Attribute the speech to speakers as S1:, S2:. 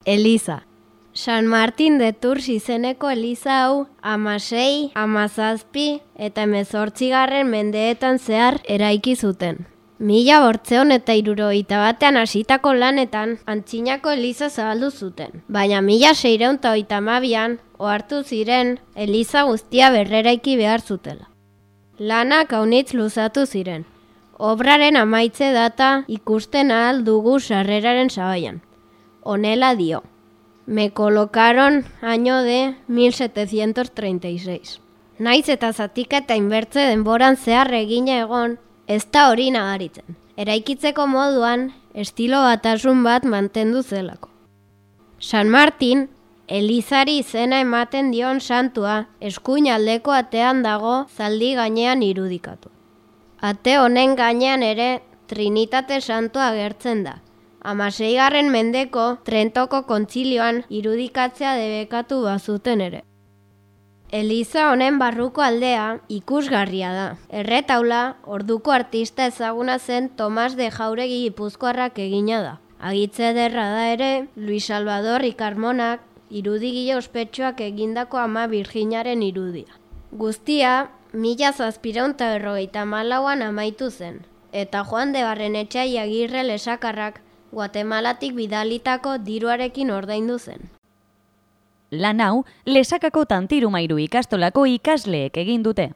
S1: Eliza. San Martin de Tours izeneko eliza hau 16, 17 eta 18 mendeetan zehar eraiki zuten. 1871 hasitako lanetan Antzinako eliza zabaldu zuten, baina 1632an ohartu ziren eliza guztia berreraiki behar zutela. Lanak aunitz luzatu ziren. Obraren amaitze data ikusten ahal dugu sarreraren sabaian. Honela dio. Me colocaron año de 1736. Naiz eta zatika eta inbertze denboran zehar egina egon, ez da hori nagaritzen. Eraikitzeko moduan, estilo batasun bat mantendu zelako. San Martin, elizari izena ematen dion santua, eskuin aldeko atean dago zaldi gainean irudikatu. Ate honen gainean ere Trinitate santua agertzen da. 16. mendeko Trentoko kontzilioan irudikatzea debekatu bazuten ere. Eliza honen barruko aldea ikusgarria da. Erretaula orduko artista ezaguna zen Tomas de Jauregi gipuzkoarrak egina da. Agitze ederra da ere Luis Salvador Ikarmonak irudegile ospetsuak egindako Ama Birjinaren irudia. Guztia 1754an amaitu zen, eta Juan de Barrenetxea Agirre lesakarrak Guatemalatik bidalitako diruarekin ordaindu zen.
S2: Lan hau, Lesakako Tantirumairu ikastolako ikasleek egin dute.